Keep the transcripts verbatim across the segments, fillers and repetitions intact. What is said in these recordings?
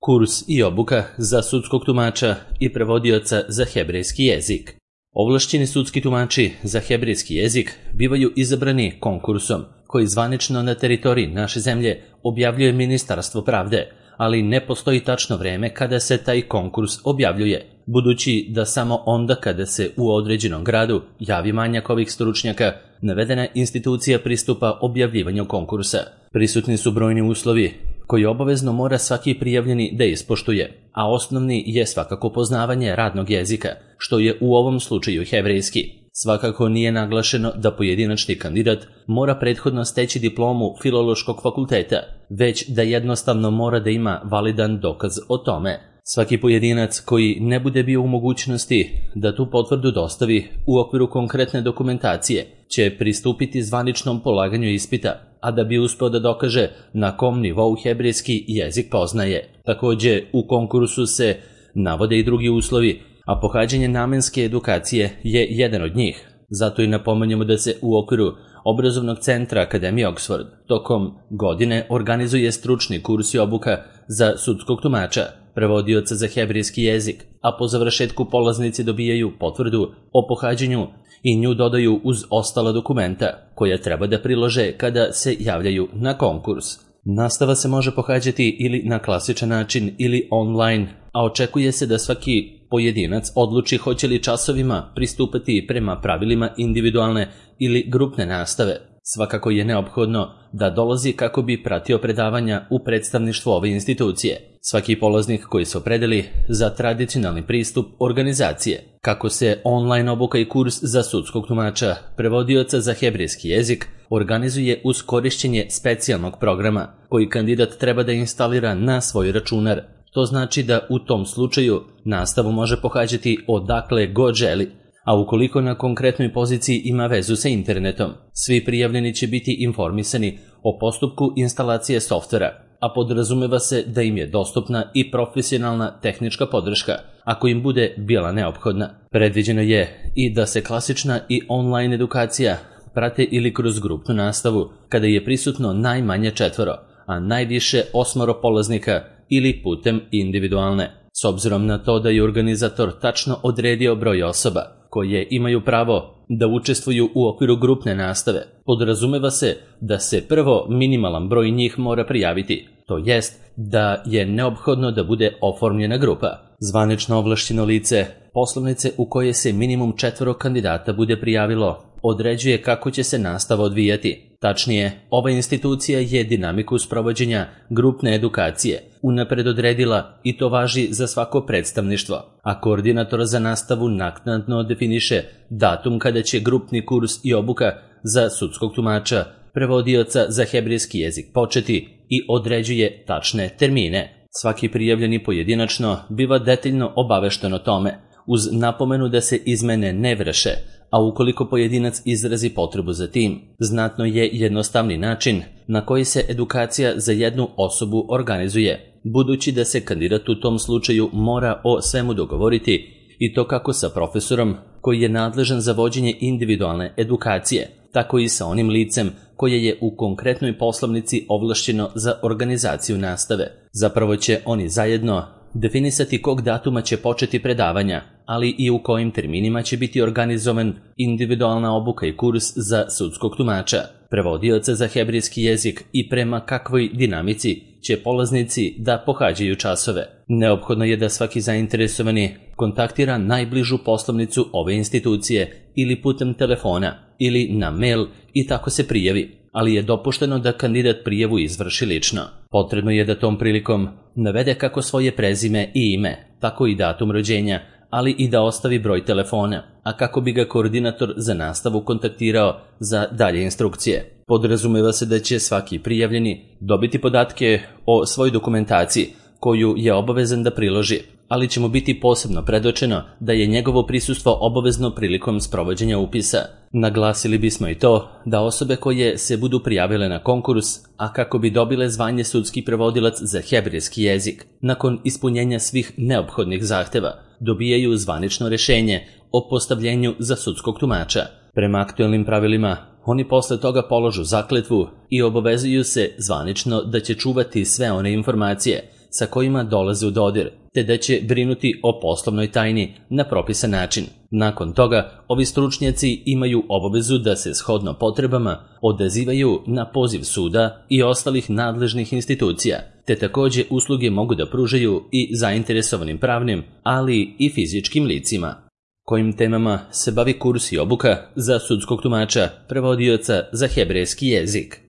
kurs i obuka za sudskog tumača i prevodioca za hebrejski jezik. Ovlašćeni sudski tumači za hebrejski jezik bivaju izabrani konkursom koji zvanično na teritoriji naše zemlje objavljuje Ministarstvo pravde, ali ne postoji tačno vreme kada se taj konkurs objavljuje, budući da samo onda kada se u određenom gradu javi manjak ovih stručnjaka, navedena institucija pristupa objavljivanju konkursa. Prisutni su brojni uslovi koji obavezno mora svaki prijavljeni da ispoštuje, a osnovni je svakako poznavanje radnog jezika, što je u ovom slučaju hebrejski. Svakako nije naglašeno da pojedinačni kandidat mora prethodno steći diplomu Filološkog fakulteta, već da jednostavno mora da ima validan dokaz o tome. Svaki pojedinac koji ne bude bio u mogućnosti da tu potvrdu dostavi u okviru konkretne dokumentacije će pristupiti zvaničnom polaganju ispita, a da bi uspeo da dokaže na kom nivou hebrejski jezik poznaje. Takođe, u konkursu se navode i drugi uslovi, a pohađanje namenske edukacije je jedan od njih. Zato i napominjemo da se u okviru obrazovnog centra Akademije Oxford tokom godine organizuje stručni kurs i obuka za sudskog tumača, prevodioca za hebrejski jezik, a po završetku polaznici dobijaju potvrdu o pohađanju i nju dodaju uz ostala dokumenta koja treba da prilože kada se javljaju na konkurs. Nastava se može pohađati ili na klasičan način ili online, a očekuje se da svaki pojedinac odluči hoće li časovima pristupati prema pravilima individualne ili grupne nastave. Svakako je neophodno da dolazi kako bi pratio predavanja u predstavništvu ove institucije. Svaki polaznik koji se opredeli za tradicionalni pristup organizacije, kako se online obuka i kurs za sudskog tumača, prevodioca za hebrejski jezik, organizuje uz korišćenje specijalnog programa koji kandidat treba da instalira na svoj računar. To znači da u tom slučaju nastavu može pohađati odakle god želi, a ukoliko na konkretnoj poziciji ima vezu sa internetom, svi prijavljeni će biti informisani o postupku instalacije softvera, a podrazumeva se da im je dostupna i profesionalna tehnička podrška, ako im bude bila neophodna. Predviđeno je i da se klasična i online edukacija prate ili kroz grupnu nastavu, kada je prisutno najmanje četvoro, a najviše osmoro polaznika, ili putem individualne. S obzirom na to da je organizator tačno odredio broj osoba koje imaju pravo da učestvuju u okviru grupne nastave, podrazumeva se da se prvo minimalan broj njih mora prijaviti, to jest da je neophodno da bude oformljena grupa. Zvanično ovlašćeno lice poslovnice u koje se minimum četvoro kandidata bude prijavilo određuje kako će se nastava odvijati. Tačnije, ova institucija je dinamiku sprovođenja grupne edukacije unapred odredila i to važi za svako predstavništvo, a koordinator za nastavu naknadno definiše datum kada će grupni kurs i obuka za sudskog tumača, prevodioca za hebrejski jezik početi i određuje tačne termine. Svaki prijavljeni pojedinačno biva detaljno obavešten o tome, uz napomenu da se izmene ne vrše, a ukoliko pojedinac izrazi potrebu za tim, znatno je jednostavni način na koji se edukacija za jednu osobu organizuje, budući da se kandidat u tom slučaju mora o svemu dogovoriti i to kako sa profesorom koji je nadležan za vođenje individualne edukacije, tako i sa onim licem koje je u konkretnoj poslovnici ovlašćeno za organizaciju nastave. Zapravo će oni zajedno definisati kog datuma će početi predavanja, ali i u kojim terminima će biti organizovan individualna obuka i kurs za sudskog tumača, prevodioca za hebrejski jezik i prema kakvoj dinamici će polaznici da pohađaju časove. Neophodno je da svaki zainteresovani kontaktira najbližu poslovnicu ove institucije ili putem telefona ili na mail i tako se prijavi, ali je dopušteno da kandidat prijavu izvrši lično. Potrebno je da tom prilikom navede kako svoje prezime i ime, tako i datum rođenja, ali i da ostavi broj telefona, a kako bi ga koordinator za nastavu kontaktirao za dalje instrukcije. Podrazumeva se da će svaki prijavljeni dobiti podatke o svojoj dokumentaciji koju je obavezan da priloži, ali će mu biti posebno predočeno da je njegovo prisustvo obavezno prilikom sprovođenja upisa. Naglasili bismo i to da osobe koje se budu prijavile na konkurs, a kako bi dobile zvanje sudski prevodilac za hebrejski jezik, nakon ispunjenja svih neophodnih zahteva, dobijaju zvanično rešenje o postavljenju za sudskog tumača. Prema aktuelnim pravilima, oni posle toga položu zakletvu i obavezuju se zvanično da će čuvati sve one informacije sa kojima dolaze u dodir, te da će brinuti o poslovnoj tajni na propisan način. Nakon toga, ovi stručnjaci imaju obavezu da se shodno potrebama odazivaju na poziv suda i ostalih nadležnih institucija, te takođe usluge mogu da pružaju i zainteresovanim pravnim, ali i fizičkim licima. Kojim temama se bavi kurs i obuka za sudskog tumača, prevodioca za hebrejski jezik?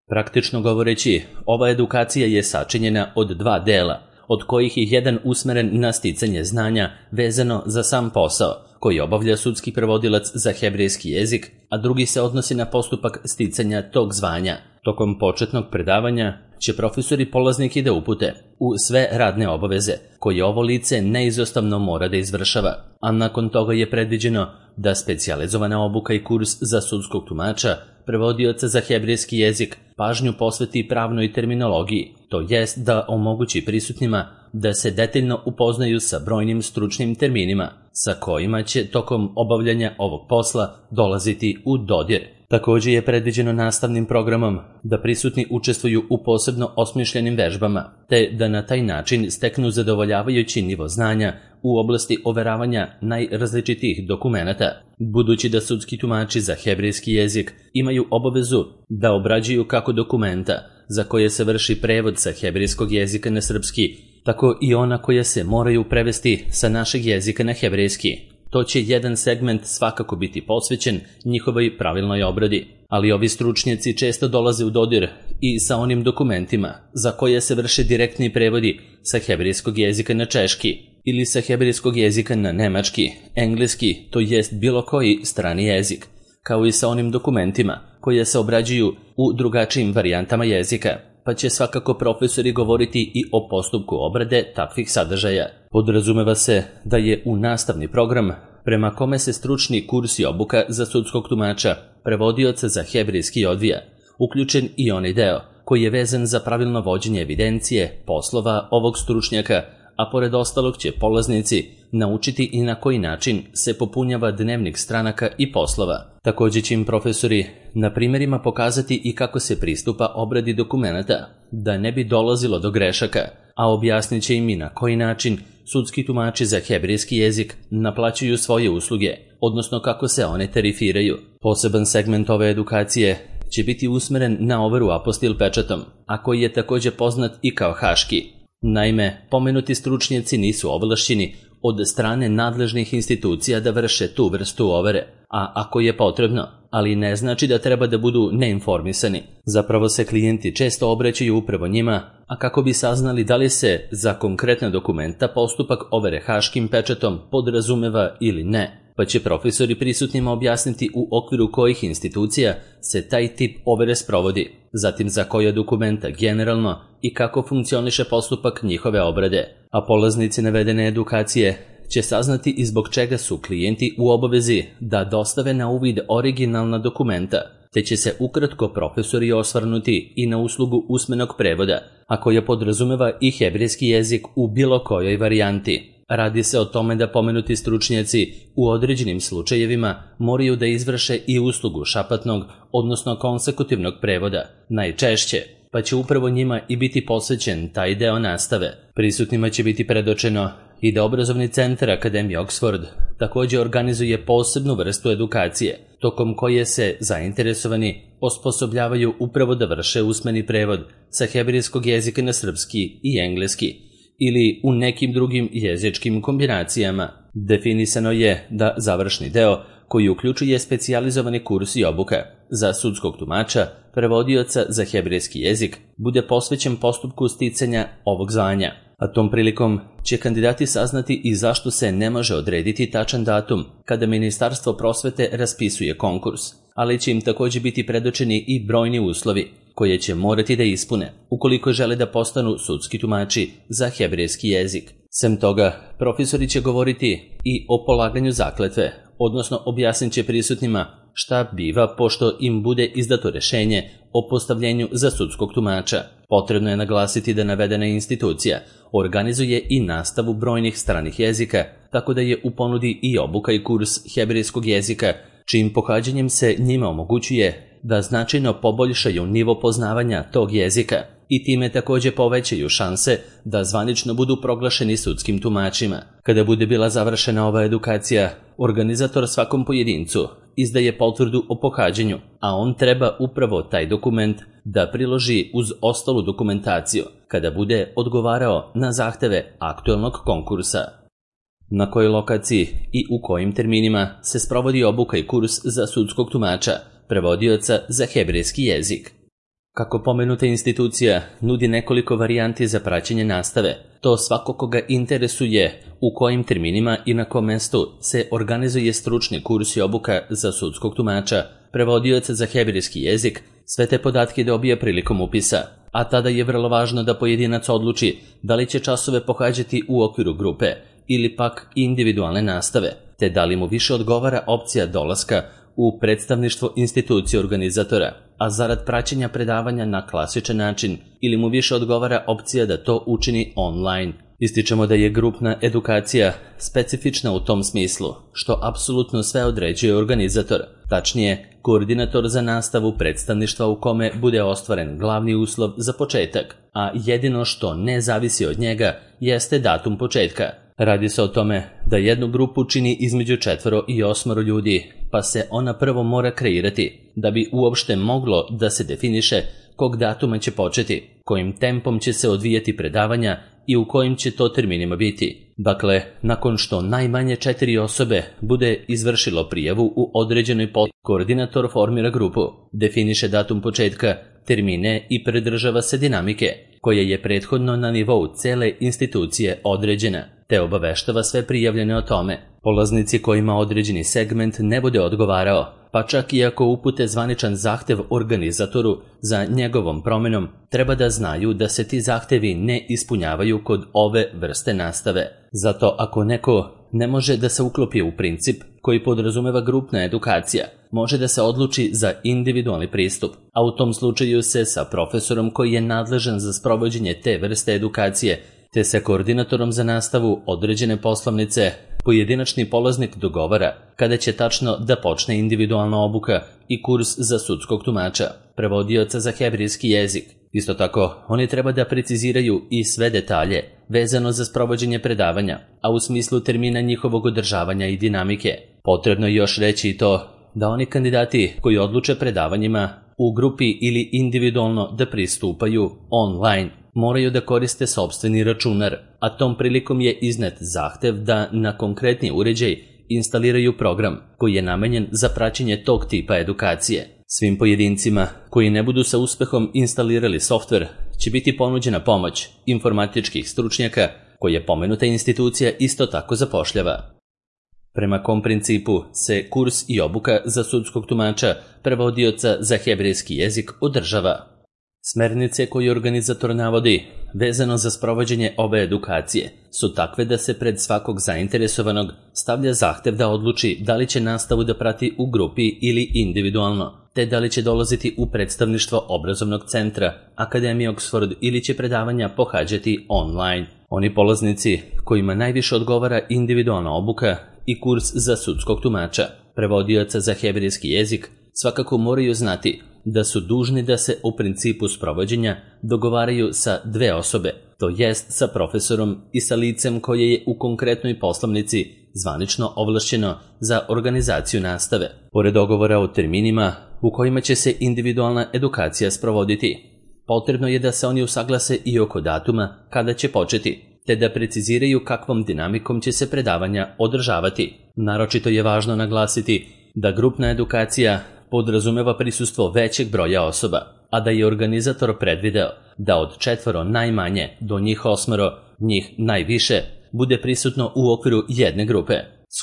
Praktično govoreći, ova edukacija je sačinjena od dva dela, od kojih je jedan usmeren na sticanje znanja vezano za sam posao, koji obavlja sudski prevodilac za hebrejski jezik, a drugi se odnosi na postupak sticanja tog zvanja. Tokom početnog predavanja će profesori polaznike da upute u sve radne obaveze koje ovo lice neizostavno mora da izvršava, a nakon toga je predviđeno da specijalizovana obuka i kurs za sudskog tumača, prevodioca za hebrejski jezik, pažnju posveti pravnoj terminologiji, to jest da omogući prisutnima da se detaljno upoznaju sa brojnim stručnim terminima, sa kojima će tokom obavljanja ovog posla dolaziti u dodir. Takođe je predviđeno nastavnim programom da prisutni učestvuju u posebno osmišljenim vežbama, te da na taj način steknu zadovoljavajući nivo znanja u oblasti overavanja najrazličitijih dokumenata, budući da sudski tumači za hebrejski jezik imaju obavezu da obrađuju kako dokumenta za koje se vrši prevod sa hebrejskog jezika na srpski, tako i ona koja se moraju prevesti sa našeg jezika na hebrejski. To će jedan segment svakako biti posvećen njihovoj pravilnoj obradi, ali ovi stručnjaci često dolaze u dodir i sa onim dokumentima za koje se vrše direktni prevodi sa hebrejskog jezika na češki ili sa hebrejskog jezika na nemački, engleski, to jest bilo koji strani jezik, kao i sa onim dokumentima koje se obrađuju u drugačijim varijantama jezika, pa će svakako profesori govoriti i o postupku obrade takvih sadržaja. Podrazumeva se da je u nastavni program, prema kome se stručni kurs i obuka za sudskog tumača, prevodioca za hebrejski odvija, uključen i onaj deo koji je vezan za pravilno vođenje evidencije poslova ovog stručnjaka, a pored ostalog će polaznici naučiti i na koji način se popunjava dnevnik stranaka i poslova. Takođe će im profesori na primjerima pokazati i kako se pristupa obradi dokumenata, da ne bi dolazilo do grešaka, a objasnit će im i na koji način sudski tumači za hebrejski jezik naplaćuju svoje usluge, odnosno kako se one tarifiraju. Poseban segment ove edukacije će biti usmeren na overu apostil pečatom, a koji je takođe poznat i kao haški. Naime, pomenuti stručnjaci nisu ovlašćeni od strane nadležnih institucija da vrše tu vrstu overe, a ako je potrebno, ali ne znači da treba da budu neinformisani. Zapravo se klijenti često obraćaju upravo njima, a kako bi saznali da li se za konkretna dokumenta postupak overe haškim pečatom podrazumeva ili ne, pa će profesori prisutnima objasniti u okviru kojih institucija se taj tip overe sprovodi, zatim za koja dokumenta generalno i kako funkcioniše postupak njihove obrade, a polaznici navedene edukacije će saznati i zbog čega su klijenti u obavezi da dostave na uvid originalna dokumenta, te će se ukratko profesori osvrnuti i na uslugu usmenog prevoda, a koja podrazumeva i hebrejski jezik u bilo kojoj varijanti. Radi se o tome da pomenuti stručnjaci u određenim slučajevima moraju da izvrše i uslugu šapatnog, odnosno konsekutivnog prevoda, najčešće, pa će upravo njima i biti posvećen taj deo nastave. Prisutnima će biti predočeno i da obrazovni centar Akademije Oxford takođe organizuje posebnu vrstu edukacije, tokom koje se zainteresovani osposobljavaju upravo da vrše usmeni prevod sa hebrejskog jezika na srpski i engleski, ili u nekim drugim jezičkim kombinacijama. Definisano je da završni deo, koji uključuje specijalizovani kurs i obuka za sudskog tumača, prevodioca za hebrejski jezik, bude posvećen postupku sticanja ovog zvanja, a tom prilikom će kandidati saznati i zašto se ne može odrediti tačan datum kada Ministarstvo prosvete raspisuje konkurs, ali će im takođe biti predočeni i brojni uslovi koje će morati da ispune ukoliko žele da postanu sudski tumači za hebrejski jezik. Sem toga, profesori će govoriti i o polaganju zakletve, odnosno objasnit će prisutnima šta biva pošto im bude izdato rešenje o postavljenju za sudskog tumača. Potrebno je naglasiti da navedena institucija organizuje i nastavu brojnih stranih jezika, tako da je u ponudi i obuka i kurs hebrejskog jezika, čijim pohađanjem se njima omogućuje da značajno poboljšaju nivo poznavanja tog jezika, i time takođe povećaju šanse da zvanično budu proglašeni sudskim tumačima. Kada bude bila završena ova edukacija, organizator svakom pojedincu izdaje potvrdu o pohađanju, a on treba upravo taj dokument da priloži uz ostalu dokumentaciju kada bude odgovarao na zahteve aktuelnog konkursa. Na kojoj lokaciji i u kojim terminima se sprovodi obuka i kurs za sudskog tumača, prevodioca za hebrejski jezik. Kako pomenuta institucija nudi nekoliko varijanti za praćenje nastave, to svako koga interesuje u kojim terminima i na kom mestu se organizuje stručni kurs i obuka za sudskog tumača, prevodioca za hebrejski jezik, sve te podatke dobija prilikom upisa, a tada je vrlo važno da pojedinac odluči da li će časove pohađati u okviru grupe ili pak individualne nastave, te da li mu više odgovara opcija dolaska u predstavništvo institucije organizatora, a zarad praćenja predavanja na klasičan način, ili mu više odgovara opcija da to učini online. Ističemo da je grupna edukacija specifična u tom smislu, što apsolutno sve određuje organizator, tačnije koordinator za nastavu predstavništva u kome bude ostvaren glavni uslov za početak, a jedino što ne zavisi od njega jeste datum početka. Radi se o tome da jednu grupu čini između četvoro i osmoro ljudi, pa se ona prvo mora kreirati, da bi uopšte moglo da se definiše kog datuma će početi, kojim tempom će se odvijati predavanja i u kojim će to terminima biti. Dakle, nakon što najmanje četiri osobe bude izvršilo prijavu u određenoj pod, koordinator formira grupu, definiše datum početka, termine i pridržava se dinamike, koja je prethodno na nivou cele institucije određena, te obaveštava sve prijavljene o tome. Polaznici kojima određeni segment ne bude odgovarao, pa čak i ako upute zvaničan zahtev organizatoru za njegovom promenom, treba da znaju da se ti zahtevi ne ispunjavaju kod ove vrste nastave. Zato ako neko ne može da se uklopi u princip koji podrazumeva grupna edukacija, može da se odluči za individualni pristup, a u tom slučaju se sa profesorom koji je nadležan za sprovođenje te vrste edukacije, te sa koordinatorom za nastavu određene poslovnice, pojedinačni polaznik dogovara kada će tačno da počne individualna obuka i kurs za sudskog tumača, prevodioca za hebrejski jezik. Isto tako, oni treba da preciziraju i sve detalje vezano za sprovođenje predavanja, a u smislu termina njihovog održavanja i dinamike. Potrebno je još reći i to da oni kandidati koji odluče predavanjima u grupi ili individualno da pristupaju online, moraju da koriste sopstveni računar, a tom prilikom je iznet zahtev da na konkretni uređaj instaliraju program koji je namenjen za praćenje tog tipa edukacije. Svim pojedincima koji ne budu sa uspehom instalirali softver će biti ponuđena pomoć informatičkih stručnjaka koje pomenuta institucija isto tako zapošljava. Prema kom principu se kurs i obuka za sudskog tumača, prevodioca za hebrejski jezik održava? Smernice koje organizator navodi vezano za sprovođenje ove edukacije su takve da se pred svakog zainteresovanog stavlja zahtev da odluči da li će nastavu da prati u grupi ili individualno, te da li će dolaziti u predstavništvo obrazovnog centra, Akademije Oxford ili će predavanja pohađati online. Oni polaznici kojima najviše odgovara individualna obuka i kurs za sudskog tumača, prevodioca za hebrejski jezik, svakako moraju znati da su dužni da se u principu sprovođenja dogovaraju sa dve osobe, to jest sa profesorom i sa licem koje je u konkretnoj poslovnici zvanično ovlašćeno za organizaciju nastave. Pored dogovora o terminima u kojima će se individualna edukacija sprovoditi, potrebno je da se oni usaglase i oko datuma kada će početi, te da preciziraju kakvom dinamikom će se predavanja održavati. Naročito je važno naglasiti da grupna edukacija podrazumeva prisustvo većeg broja osoba, a da je organizator predvideo da od četvoro najmanje do njih osmoro, njih najviše, bude prisutno u okviru jedne grupe.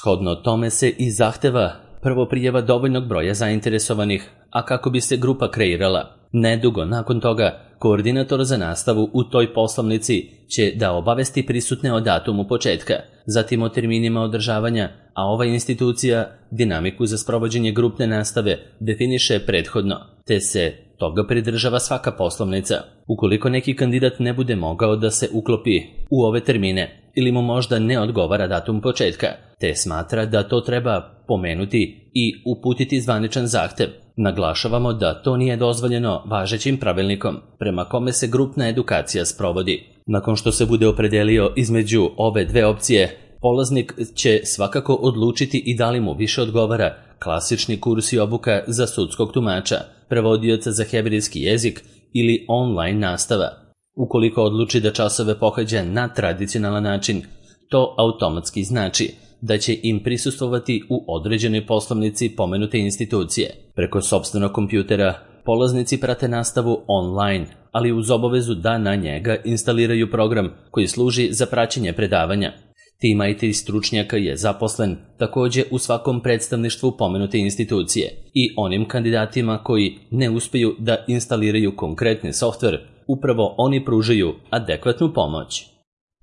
Shodno tome se i zahteva prvo prijava dovoljnog broja zainteresovanih, a kako bi se grupa kreirala. Nedugo nakon toga, koordinator za nastavu u toj poslovnici će da obavesti prisutne o datumu početka, zatim o terminima održavanja, a ova institucija dinamiku za sprovođenje grupne nastave definiše prethodno, te se toga pridržava svaka poslovnica. Ukoliko neki kandidat ne bude mogao da se uklopi u ove termine, ili mu možda ne odgovara datum početka, te smatra da to treba pomenuti i uputiti zvaničan zahtev. Naglašavamo da to nije dozvoljeno važećim pravilnikom, prema kome se grupna edukacija sprovodi. Nakon što se bude opredelio između ove dve opcije, polaznik će svakako odlučiti i da li mu više odgovara klasični kurs i obuka za sudskog tumača, prevodioca za hebrejski jezik ili online nastava. Ukoliko odluči da časove pohađa na tradicionalan način, to automatski znači da će im prisustvovati u određenoj poslovnici pomenute institucije. Preko sopstvenog kompjutera polaznici prate nastavu online, ali uz obavezu da na njega instaliraju program koji služi za praćenje predavanja. Tim I T stručnjaka je zaposlen također u svakom predstavništvu pomenute institucije i onim kandidatima koji ne uspiju da instaliraju konkretni softver, upravo oni pružaju adekvatnu pomoć.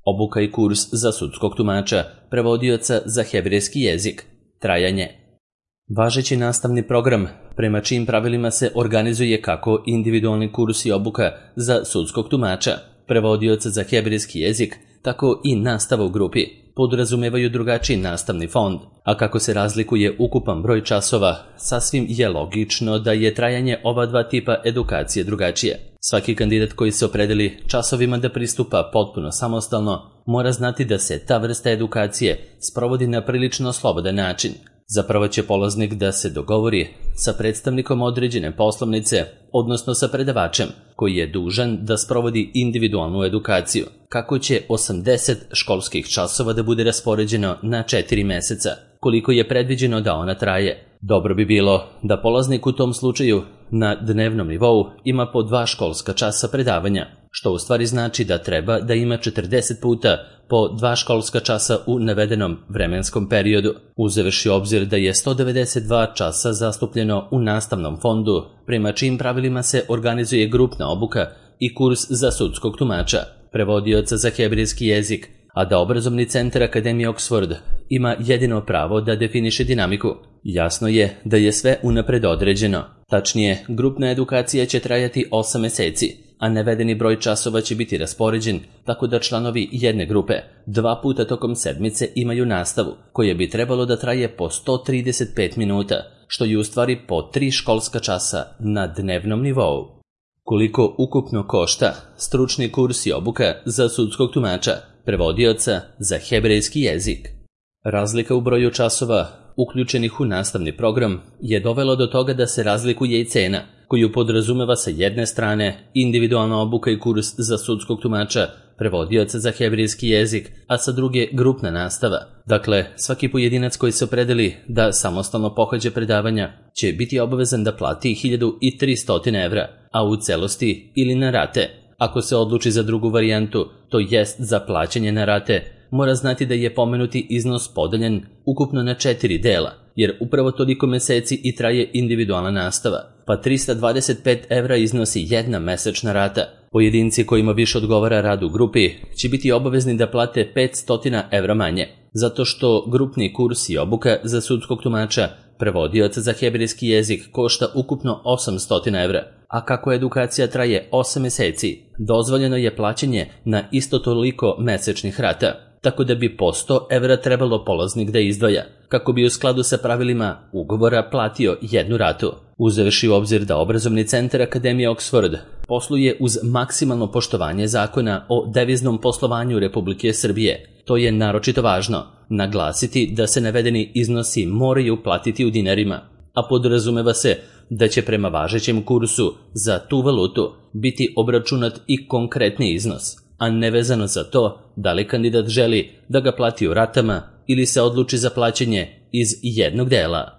Obuka i kurs za sudskog tumača, prevodioca za hebrejski jezik. Trajanje. Važeći nastavni program, prema čijim pravilima se organizuje kako individualni kurs i obuka za sudskog tumača, prevodioca za hebrejski jezik, tako i nastava u grupi, podrazumevaju drugačiji nastavni fond, a kako se razlikuje ukupan broj časova, sasvim je logično da je trajanje ova dva tipa edukacije drugačije. Svaki kandidat koji se opredeli časovima da pristupa potpuno samostalno, mora znati da se ta vrsta edukacije sprovodi na prilično slobodan način. Zapravo će polaznik da se dogovori sa predstavnikom određene poslovnice, odnosno sa predavačem, koji je dužan da sprovodi individualnu edukaciju, kako će osamdeset školskih časova da bude raspoređeno na četiri meseca, koliko je predviđeno da ona traje. Dobro bi bilo da polaznik u tom slučaju na dnevnom nivou ima po dva školska časa predavanja, što u stvari znači da treba da ima četrdeset puta po dva školska časa u navedenom vremenskom periodu. Uzevši obzir da je sto devedeset dva časa zastupljeno u nastavnom fondu, prema čijim pravilima se organizuje grupna obuka i kurs za sudskog tumača, prevodioca za hebrejski jezik, a da obrazovni centar Akademije Oxford ima jedino pravo da definiše dinamiku. Jasno je da je sve unapred određeno. Tačnije, grupna edukacija će trajati osam meseci, a navedeni broj časova će biti raspoređen tako da članovi jedne grupe dva puta tokom sedmice imaju nastavu, koja bi trebalo da traje po sto trideset pet minuta, što je u stvari po tri školska časa na dnevnom nivou. Koliko ukupno košta stručni kurs i obuka za sudskog tumača, prevodioca za hebrejski jezik? Razlika u broju časova uključenih u nastavni program je dovelo do toga da se razlikuje i cena, koju podrazumeva sa jedne strane individualna obuka i kurs za sudskog tumača, prevodioca za hebrejski jezik, a sa druge grupna nastava. Dakle, svaki pojedinac koji se opredeli da samostalno pohađa predavanja će biti obavezan da plati hiljadu tristo evra, a u celosti ili na rate. Ako se odluči za drugu varijantu, to jest za plaćanje na rate, mora znati da je pomenuti iznos podeljen ukupno na četiri dela, jer upravo toliko meseci i traje individualna nastava, pa tristo dvadeset pet evra iznosi jedna mesečna rata. Pojedinci kojima više odgovara rad u grupi će biti obavezni da plate petsto evra manje, zato što grupni kurs i obuka za sudskog tumača, prevodioca za hebrejski jezik košta ukupno osamsto evra, a kako edukacija traje osam meseci, dozvoljeno je plaćanje na isto toliko mesečnih rata, tako da bi po sto evra trebalo polaznik da izdvaja, kako bi u skladu sa pravilima ugovora platio jednu ratu. Uzevši u obzir da obrazovni centar Akademije Oxford posluje uz maksimalno poštovanje zakona o deviznom poslovanju Republike Srbije, to je naročito važno naglasiti da se navedeni iznosi moraju platiti u dinarima, a podrazumeva se da će prema važećem kursu za tu valutu biti obračunat i konkretni iznos, a nevezano za to da li kandidat želi da ga plati u ratama ili se odluči za plaćanje iz jednog dela.